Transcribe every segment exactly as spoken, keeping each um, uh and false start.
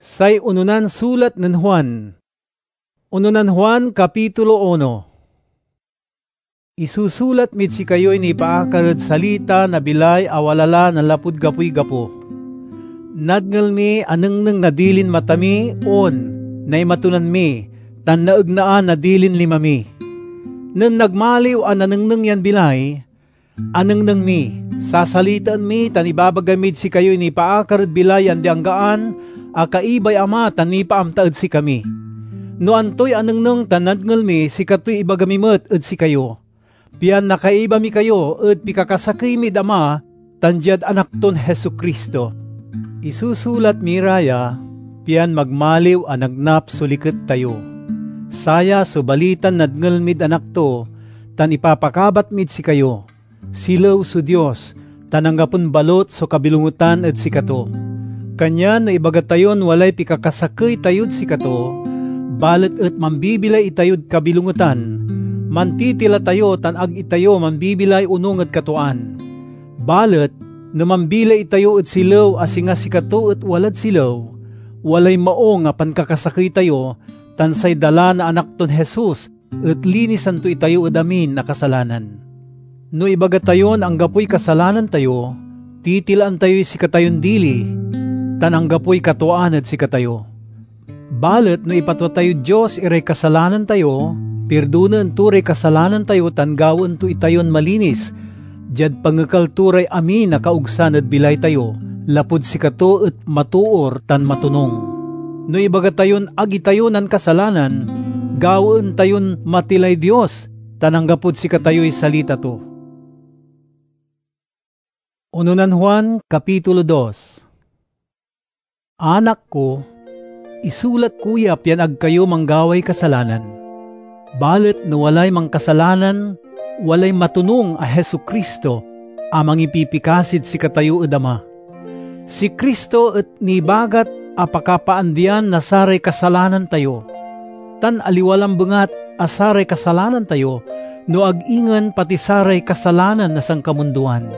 Say ononan sulat nen Juan. Ononan Juan, kapitulo uno. Isusulat mid sikayoy nipaakar ed salita na bilay a wala la nanlapud gapoy gapo. Nadngel mi a nengneng na dilin mata mi, on, naimatunan mi, tan naegnaan na dilin lima mi. Nen nagmaliw a nanengneng yan bilay, anengneng mi, sasalitaen mi, tan ibabaga mid sikayoy nipaakar ed bilay ya andi-anggaan a kaibay Ama tan nipaamta ed sikami. No antoy anengneng tan nadngel mi, sikatoy ibaga mi met ed sikayo, pian nakaiba mi kayo ed pikakasakey mid Ama tan diad Anak ton Jesu-Cristo. Isusulat mi ra ya, pian magmaliw a nagnap so liket tayo. Saya so balitan nadngel mid Anak to, tan ipapakabat mid sikayo. Silew so Dios, tan anggapon balot so kabilongetan ed sikato. Kanyan no ibaga tayon walay pikakasakey tayod sikato, balet et mambibilay itayod kabilongetan, mantitila tayo tan ag itayo mambibilay onung ed katuaan. Balet no mambilay itayo ed silew a singa sikato et walad silew, walay maung a pankakasakey tayo, tan say dala na Anak ton Jesus et linisan to itayo ed amin a kasalanan. No ibaga tayon anggapoy kasalanan tayo, titilaan tayoy sikatayon dili, tan anggapoy katuaan ed sikatayo. Balet no ipatwa tayod Dios iray kasalanan tayo, pirdonaen to ray kasalanan tayo tan gawaen to itayon malinis, diad pangekal to ray amin a kaogsan ed bilay tayo, lapud sikato et matoor tan matonung. No ibaga tayon ag itayo nankasalanan, gawaen tayon matilay Dios, tan anggapod sikatayoy salita to. Ononan Juan, kapitulo dos. Anak ko, isulat ko ya pian ag kayo manggaway kasalanan. Balet no walay mankasalanan, walay matonung a Jesu-Cristo a mangipipikasid sikatayo ed Ama. Si Cristo et nibagat a pakapaandian na saray kasalanan tayo, tan aliwa lambengat a saray kasalanan tayo, no ag ingen pati saray kasalanan na sankamundoan.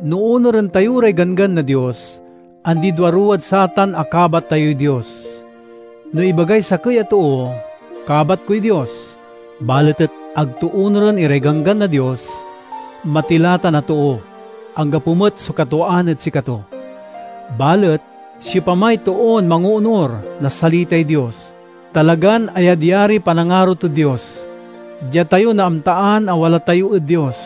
No onuren tayo ray ganggan na Dios, andi duaruwad satan a kabat tayoy Dios. No ibagay sakey a too, "Kabat koy Dios," balet et ag to onuren iray ganggan na Dios, matila tan a too, anggapo met so katuaan ed sikato. Balet siopamay toon mangoonur na salitay Dios, talagan ayadyariy panangaro tod Dios. Dia tayo naamtaan a wala tayo ed Dios.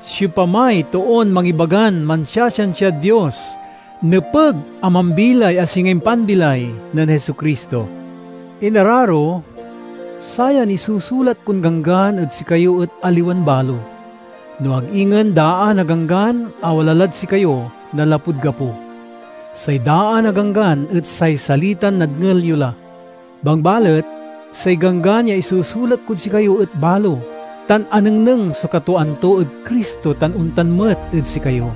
Siopamay toon mangibagan mansiasiansiad Dios, nepeg a mambilay a singa impanbilay nen Jesu-Cristo. Inararo, sayan isusulat kon ganggan ed sikayo et aliwan balo, no ag ingen daan a ganggan a wala lad sikayo nanlapud gapo. Say daan a ganggan et say salitan nadngel yo la. Bangbalet, say ganggan ya isusulat kod sikayo et balo, tan anengneng so katuaan to ed Cristo tan ontan met ed sikayo.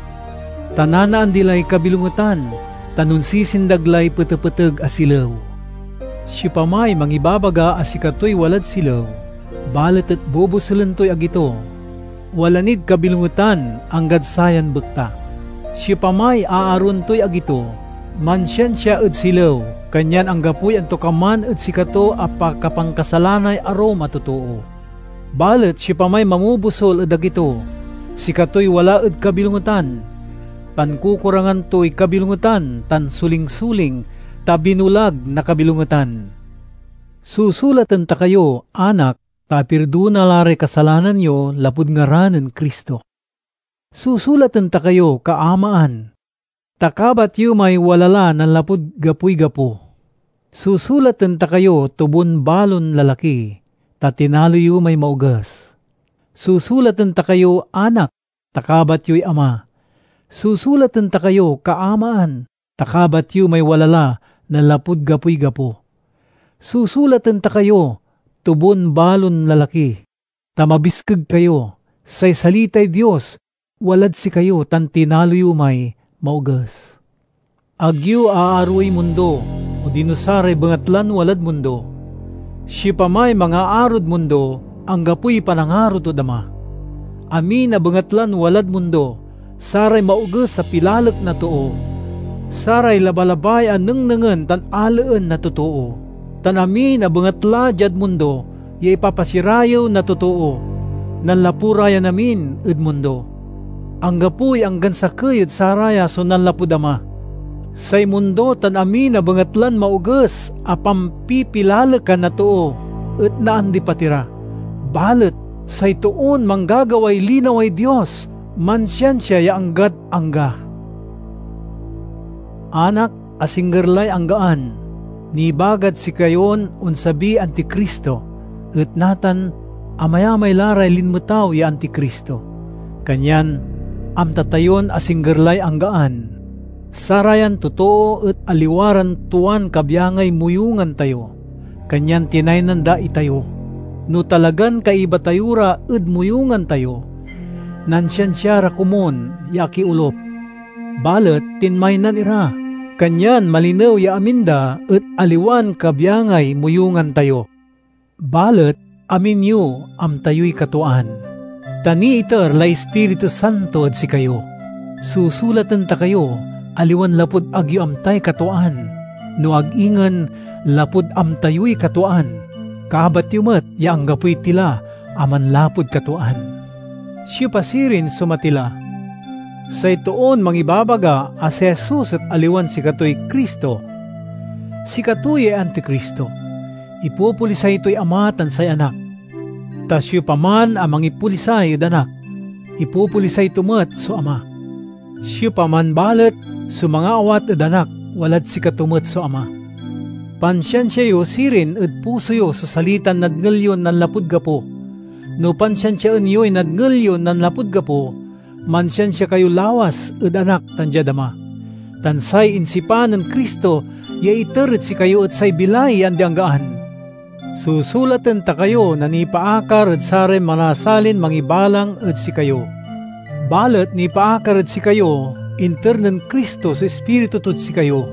Ta nanaandi lay kabilongetan, tan onsisindag lay petepeteg a silew. Siopamay mangibabaga a sikatoy walad silew, balet et bobosulen toy agi to, wala nid kabilongetan anggad sayan bekta. Siopamay aaroen toy agi to, mansiansia ed silew, kanyan anggapoy antokaman ed sikato a pakapankasalanay arum a totoo. Balet siopamay mamobusol ed agi to, sikatoy wala ed kabilongetan. Pankukurangan toy kabilongetan tan sulingsuling, ta binulag na kabilongetan. Susulaten ta kayo, anak, ta apirdona la ray kasalanan yo lapud ngaran nen Cristo. Susulaten ta kayo, kaamaan, ta kabat yo may wala la nanlapud gapoy gapo. Susulaten ta kayo, tubon balon lalaki, ta tinalo yo may maoges. Susulaten ta kayo, anak, ta kabat yoy ama. Susulaten ta kayo, kaamaan, ta kabat yo may wala la nanlapud gapoy gapo. Susulaten ta kayo, tubon balon lalaki, ta mabiskeg kayo. Say salitay Dios walad sikayo tan tinalo yo may maoges. Ag yo aaroey mundo, odino saray bengatlan walad mundo. Siopamay mangaarod mundo, anggapoy panangaro tod Ama. Amin a bengatlan walad mundo, saray maoges a pilalek na too, saray labalabay a nengnengen tan alaen na totoo, tan amin a bengatla diad mundo ya ipapasirayew na totoo. Nanlapu ra yan amin ed mundo. Anggapoy anggan sakey ed saraya so nanlapud Ama. Say mundo tan amin a bengatlan maoges a pampipilalekan na too et naandi pati ra. Balet say toon manggagaway linaway Dios mansiansia ya anggad angga. Anak, asingger lay anggaan. Nibagad sikayon onsabiy Anticristo, et natan amayamay la ray linmetaw ya Anticristo. Kanyan amta tayon asingger lay anggaan. Sarayan totoo et aliwa ran tuan kabyangay moyungan tayo, kanyan tinaynan da itayo. No talagan kaiba tayo ra ed moyungan tayo, nansiansia ra komun ya akiolup. Balet tinmaynan ira, kanyan malinew ya amin da et aliwan kabyangay moyungan tayo. Balet amin yo amta yoy katuaan, ta niiter lay Ispiritu Santo ed sikayo. Susulaten ta kayo, aliwan lapud ag yo amtay katuaan, no ag ingen lapud amta yoy katuaan. Kabat yo met ya anggapoy tila a manlapud katuaan. Siopa sirin so matila? Say toon mangibabaga a si Jesus et aliwan sikatoy Cristo, sikato yay Anticristo. Ipopolisay toy Ama tan say Anak. Ta siopaman a mangipolisay ed Anak, ipopolisay to met so Ama. Siopaman balet so mangaawat ed Anak, walad sikato met so Ama. Pansiansia yo sirin ed puso yo so salitan nadngel yon nanlapud gapo. No pansiansiaen yoy nadngel yon nanlapud gapo, mansiansia kayo lawas ed Anak tan diad Ama. Tan say insipa nen Cristo ya iter ed sikayo et say bilay ya andi-anggaan. Susulaten ta kayo na nipaakar ed saray manasalin mangibalang ed sikayo. Balet nipaakar ed sikayo, inter nen Cristo so Ispiritu tod sikayo.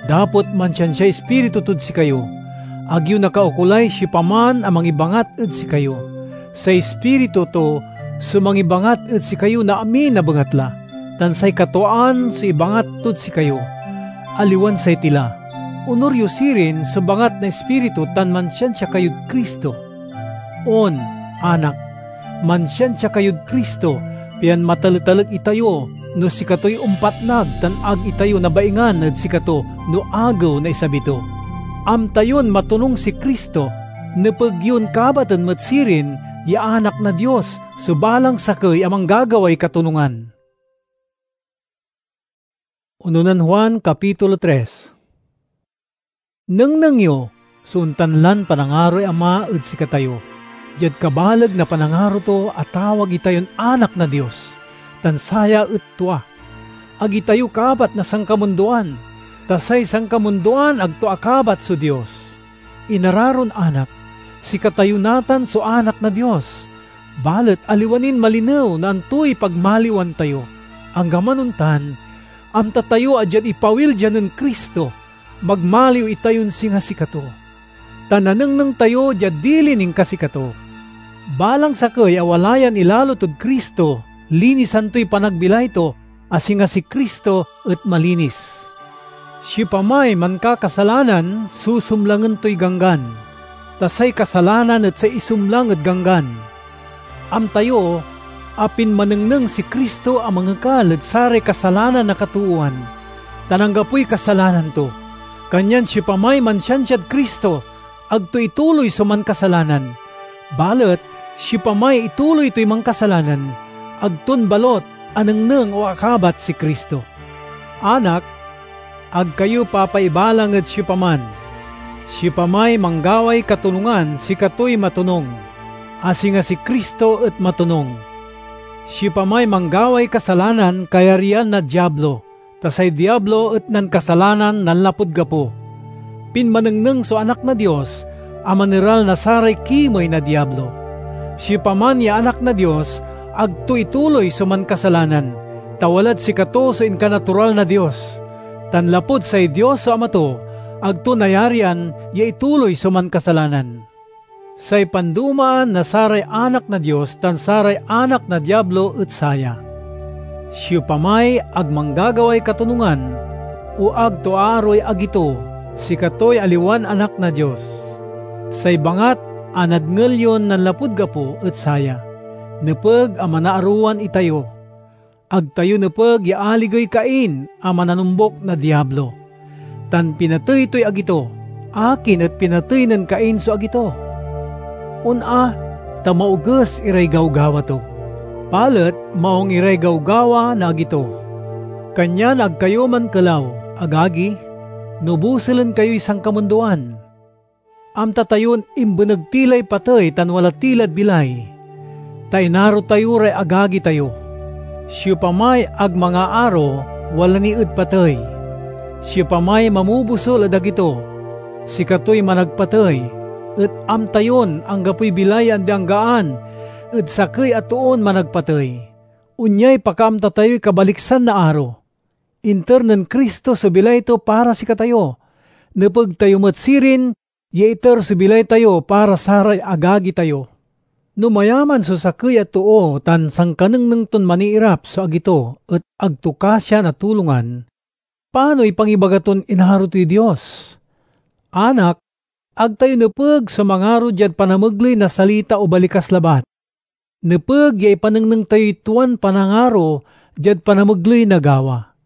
Dapot mansiansiay Ispiritu tod sikayo, ag yo nakaukolay siopaman a mangibangat ed sikayo. Say Ispiritu to so mangibangat ed sikayo na amin a bengatla, tan say katuaan so ibangat tod sikayo, aliwan say tila. Onur yo sirin so bangat na Ispiritu tan mansiansia kayod Cristo. On, anak, mansiansia kayod Cristo, pian mataletalek itayo no sikatoy ompatnag tan ag itayo nabaingan ed sikato no agew na isabi to. Amta yon matonung si Cristo, nepeg yon kabaten met sirin ya anak na Dios so balang sakey a manggagaway katonungan. Unonan Juan, Kapitulo tres. Nengneng yo so ontan lan panangaroy Ama ed sikatayo, diad kabaleg na panangaro to a tawag itayon anak na Dios, tan saya et tua. Ag itayo kabat na sankamundoan, ta say sankamundoan ag to akabat so Dios. Inararon anak, sikatayo natan so anak na Dios, balet aliwa nin malinew na antoy pagmaliwan tayo. Anggaman ontan, amta tayo a diad ipawil dia nen Cristo, magmaliw itayon singa sikato, ta nanengneng tayo diad dilin inkasikato. Balang sakey a wala yan ilalo tod Cristo, linisan toy panagbilay to, a singa si Cristo et malinis. Siopamay mankakasalanan, susumlangen toy Ganggan, ta say kasalanan et say isumlang ed Ganggan. Amta yo a pinmanengneng si Cristo a mangekal ed saray kasalanan na katoowan, tan anggapoy kasalanan to. Kanyan siopamay mansiansiad Cristo, ag to ituloy so mankasalanan. Balet siopamay ituloy toy mankasalanan, ag ton balot anengneng o akabat si Cristo. Anak, ag kayo papaibalang ed siopaman. Siopamay manggaway katonungan, sikatoy matonung, a singa si Cristo et matonung. Siopamay manggaway kasalanan, kayaryan na Diablo, ta say Diablo et nankasalanan nanlapud gapo. Pinmanengneng so Anak na Dios a maneral na saray kimey na Diablo. Siopaman ya anak na Dios, ag to ituloy so mankasalanan, ta walad sikato so inkanatural na Dios. Tan lapud say Dios so Ama to, ag to nayarian ya ituloy so mankasalanan. Say pandumaan na saray anak na Dios tan saray anak na Diablo et saya: siopamay ag manggagaway katonungan, o ag to aaroy agi to, sikatoy aliwan anak na Dios. Say bangat a nadngel yon nanlapud gapo et saya: nepeg a manaarowan itayo. Ag tayo nepeg ya aligey Cain a mananombuk na Diablo, tan pinatey toy agi to. Akin et pinatey nen Cain so agi to? On a, ta maoges iray gawgawa to, balet maung iray gawgawa na agi to. Kanyan ag kayo mankelaw, agagi, no buselen kayoy sankamundoan. Amta tayon imbeneg ti lay patey tan wala ti lad bilay, ta inaro tayo ray agagi tayo. Siopamay ag mangaaro, wala ni ed patey. Siopamay mamobusol ed agi to, sikatoy managpatey, et amta yon anggapoy bilay ya andi-anggaan ed sakey a toon managpatey. Onyay pakaamta tayoy kabaliksan na aro. Inter nen Cristo so bilay to para sikatayo. Nepeg tayo met sirin ya iter so bilay tayo para saray agagi tayo. No mayaman so sakey a too tan sankanengneng ton maniirap so agi to et ag to kasian a tulongan, panoy pangibaga ton inaro toy Dios? Anak, ag tayo nepeg so mangaro diad panamegley na salita o balikas labat. Nepeg ya ipanengneng tayoy tuan panangaro diad panamegley na gawa.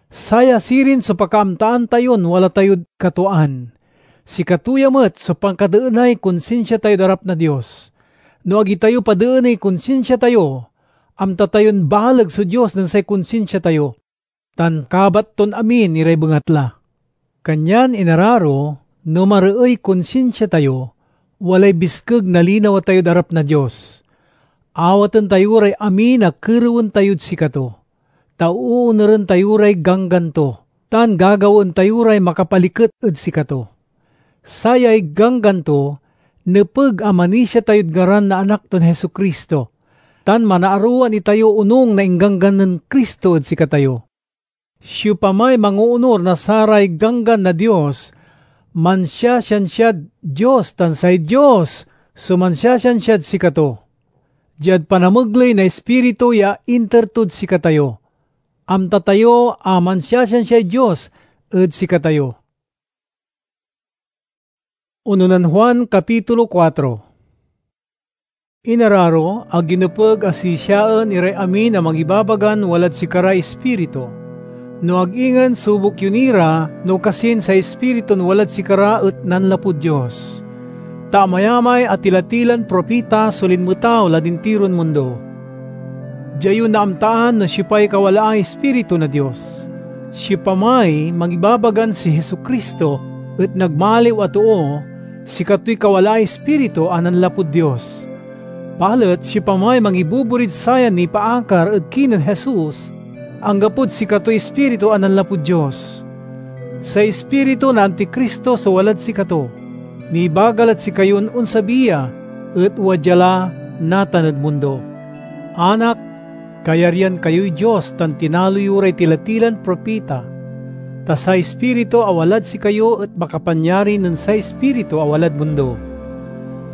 Saya sirin so pakaamtaan tayon wala tayod katuaan. Sikato ya met so pankadeenay konsinsia tayod arap na Dios. No ag itayo padeeney konsinsia tayo, amta tayon baleg so Dios nen say konsinsia tayo, tan kabat ton amin iray bengatla. Kanyan, inararo, no mareey konsinsia tayo, walay biskeg na linawa tayod arap na Dios. Awaten tayo ray amin a kerewen tayod sikato, ta oonuren tayo ray ganggan to, tan gagawaen tayo ray makapaliket ed sikato. Sayay ganggan to, nepeg a manisia tayod ngaran na Anak ton Jesu-Cristo, tan manaarowan itayo onung na ingganggan nen Cristo ed sikatayo. Siopamay mangoonur na saray ganggan na Dios, mansiasiansiad Dios, tan say Dios so mansiasiansiad sikato. Diad panamegley na Ispiritu ya inter tod sikatayo, amta tayo a mansiasiansiay Dios ed sikatayo. Uno nen Juan, kapitulo kuatro. Inararo, ag yo nepeg a sisiaen iray amin a mangibabagan walad sikaray ispiritu. No ag ingen, subok yo ni ra, no kasin say Ispiritun walad sikara et nanlapud Dios. Ta amayamay a tila-tilan propita so linmetaw lad intiron mundo. Dia yo naamtaan no siopay kawalaay Ispiritu na Dios. Siopamay mangibabagan si Jesu-Cristo et nagmaliw a too, sikatoy kawalaay Ispiritu a nanlapud Dios. Balet siopamay mangibuburid sayan nipaakar ed kinen Jesus, anggapod sikatoy Ispiritu a nanlapud Dios. Say ispiritu na Anticristo so walad sikato. Nibaga lad sikayon onsabi ya, et wadya la natan ed mundo. Anak, kayaryan kayoy Dios tan tinalo yo ray tila-tilan propita, ta say Ispiritu a walad sikayo et makapanyari nen say ispiritu a walad mundo.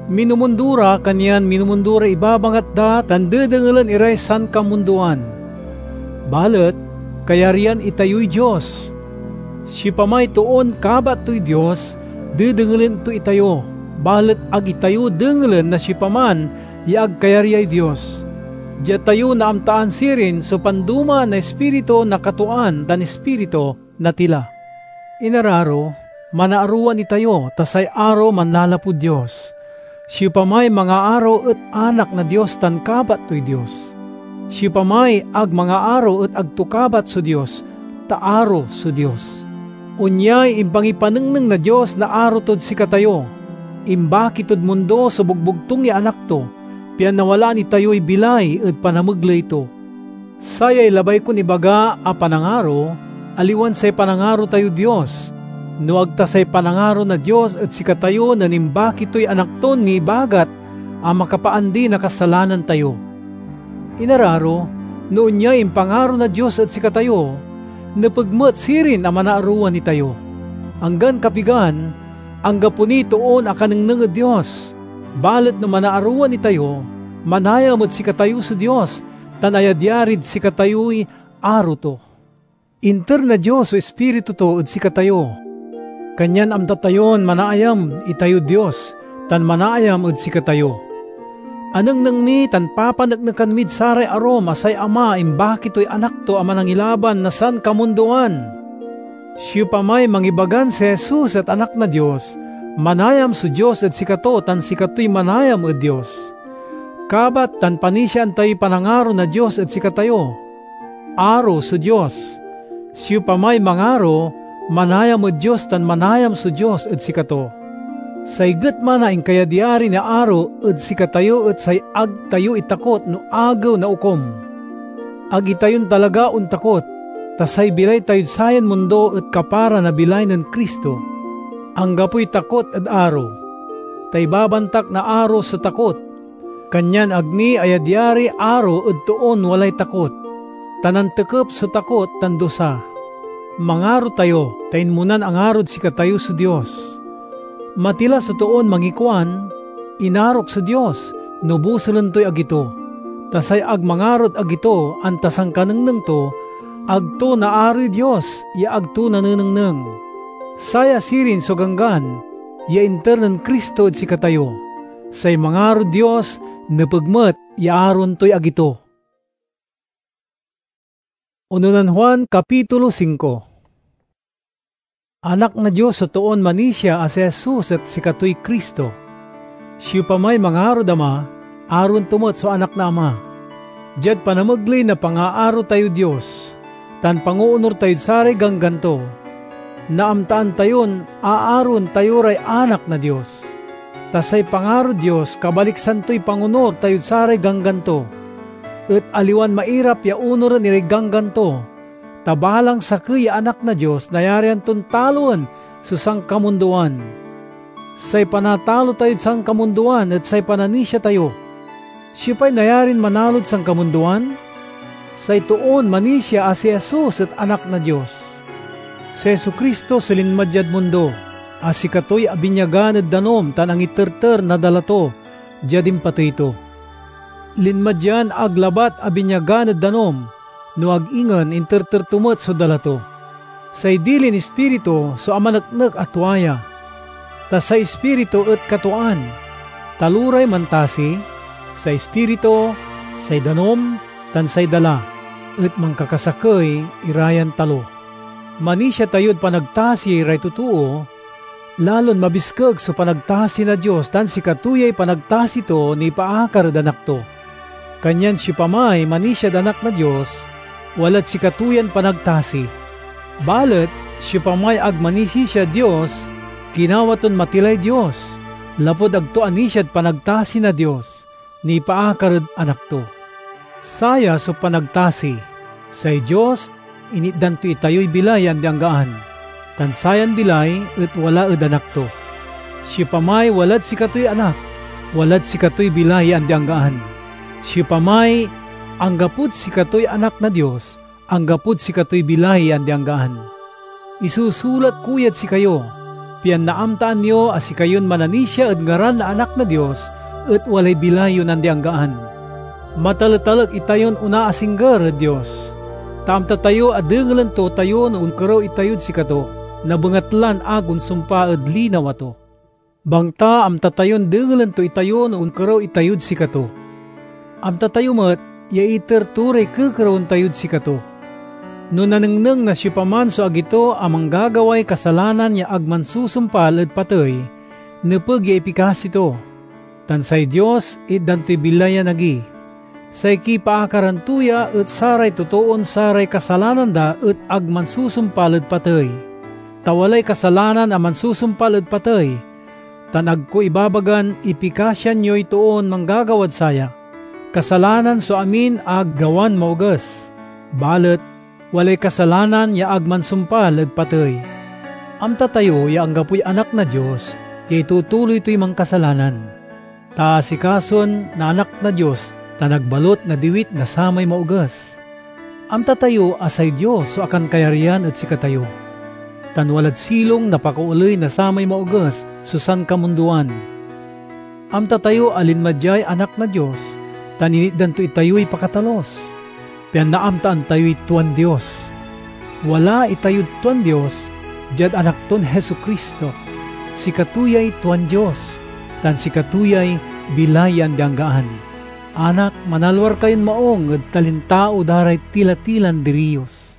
Minumundo ra, kanyan minumundo ray ibabangat da tan dedengelen iray sankamundoan. Balet kayaryan itayoy Dios. Siopamay toon kabat toy Dios, dedengelen to itayo, balet ag itayo dengelen na siopaman ya ag kayaryay Dios. Dia tayo naamtaan sirin so panduma na ispiritu na katuaan tan ispiritu na tila. Inararo, manaarowan itayo, ta say aro manlalapud Dios. Siopamay mangaaro et anak na Dios tan kabat toy Dios. Siopamay ag mangaaro et ag to kabat so Dios, ta aro so Dios. Onyay impangipanengneng na Dios na aro tod sikatayo. Imbaki tod mundo so bogbogtung ya Anak to, pian nawalaan itayoy bilay ed panamegley to. Sayay labay kon ibaga a panangaro, aliwan say panangaro tayod Dios, no ag ta say panangaro na Dios ed sikatayo nen imbaki toy Anak ton nibagat a makapaandi na kasalanan tayo. Inararo, no onyay impangaro na Dios ed sikatayo, nepeg met sirin a manaarowan itayo. Anggan kapigan, anggapo niy toon akanengneng ed Dios. Balet no manaarowan itayo, manayam ed sikatayo so Dios, tan ayadyarid sikatayoy aro to. Inter na Dios so Ispiritu to ed sikatayo, kanyan amta tayon manaayam itayod Dios tan manaayam ed sikatayo. Anengneng mi tan papaneknekan mid saray arum a say Ama imbaki toy Anak to a Manangilaban na sankamundoan. Siopamay mangibagan si Jesus et Anak na Dios, manayam so Dios ed sikato tan sikatoy manayam ed Dios. Kabat tan panisiaan tayoy panangaro na Dios ed sikatayo. Aro so Dios. Siopamay mangaro, manayam ed Dios tan manayam so Dios ed sikato. Say getma na inkayadyari na aro ed sikatayo et say ag tayo itakot no Agew na Okum. Ag itayon talaga ontakot, ta say bilay tayod sayan mundo et kapara na bilay nen Cristo. Anggapoy takot ed aro, ta ibabantak na aro so takot. Kanyan ag ni ayadyariy aro ed toon walay takot, ta nantekep so takot tan dusa. Mangaro tayo, ta inmonan angarod sikatayo so Dios. Matila so toon mangikuan, "Inarok so Dios," no bosulen toy agi to. Ta say ag mangarod agi to, anta sankanengneng to, ag to naaroy Dios ya ag to nanenengneng. Saya sirin so Ganggan ya inter nen Cristo ed sikatayo. Say mangarod Dios nepeg met ya aroen toy agi to. Unonnan Juan, Kapitulo singko. Anak na Dios so toon manisia a si Jesus et sikatoy Cristo. Siopamay mangarod Ama, aroen to met so anak na Ama. Diad panamegley na pangaaro tayod Dios, tan pangoonor tayod saray ganggan to, naamtaan tayon aaroen tayo ray anak na Dios. Ta say pangarod Dios kabaliksan toy pangonor tayod saray ganggan to, et aliwan mairap ya onoren iray ganggan to, ta balang sakey ya anak na Dios nayarian ton taloen so sankamundoan. Say panatalo tayod sankamundoan et say pananisia tayo. Siopay nayarin manalod sankamundoan? Say toon manisia a si Jesus et Anak na Dios. Si Jesu-Cristo so linma diad mundo, a sikatoy abinyagan ed danum tan angiterter na dala to diad impatey to. Linma dian ag labat abinyagan ed danum, no ag ingen interter to met so dala to. Say dilin Ispiritu so amaneknek a tua ya, ta say Ispiritu et katuaan. Taloray mantasi, say Ispiritu, say danum, tan say dala, et mankakasakey ira yan talo. Manisia tayod panagtasi ray totoo, lalon mabiskeg so panagtasi na Dios tan sikato yay panagtasi to nipaakar ed Anak to. Kanyan siopamay manisiad Anak na Dios, walad sikato yan panagtasi. Balet siopamay ag manisisiad Dios, ginawa ton matilay Dios, lapud ag to anisiad panagtasi na Dios nipaakar ed Anak to. Saya so panagtasi: say Dios, initdan to itayoy bilay ya andi-anggaan, tan sayan bilay et wala ed Anak to. Siopamay walad sikatoy Anak, walad sikatoy bilay ya andi-anggaan. Siopamay anggapod sikatoy Anak na Dios, anggapod sikatoy bilay ya andi-anggaan. Isusulat ko yad sikayo, pian naamtaan yo a sikayon mananisia ed ngaran na Anak na Dios et walay bilay yon andi-anggaan. Mataletalek itayon onaasingger ed Dios, ta amta tayo a dengelen to tayo no onkerew itayod sikato, nabengatlan ag onsumpal ed linawa to. Bangta amta tayon dengelen to itayo no onkerew itayod sikato. Amta tayo met ya iter to ray kekerewen tayod sikato. No nanengneng na siopaman so agi to a manggagaway kasalanan ya ag mansusumpal ed patey, nepeg ya ipikasi to, tan say Dios itdan toy bilay yan agi. Say kipaakaran to ya et saray totoon saray kasalanan da et ag mansusumpal ed patey. Ta walay kasalanan a mansusumpal ed patey, tan ag ko ibabagan ipikasian yoy toon manggagawad saya. Kasalanan so amin a gawan maoges, balet walay kasalanan ya ag mansumpal ed patey. Amta tayo ya anggapoy anak na Dios ya itutuloy toy mankasalanan, ta asikason na Anak na Dios tan ag balut nadiwit na samay maoges. Amta tayo a say Dios so akankayaryan ed sikatayo, tan walad silong na pakaoley na samay maoges so sankamundoan. Amta tayo a linma diay Anak na Dios tan initdan to itayoy pakatalus, pian naamtaan tayoy tuan Dios. Wala itayod tuan Dios diad Anak ton Jesu-Cristo. Sikato yay tuan Dios, tan sikato yay bilay ya andi-anggaan. Anak, manalwar kayon maong ed talintao da ray tila-tilan diriyos.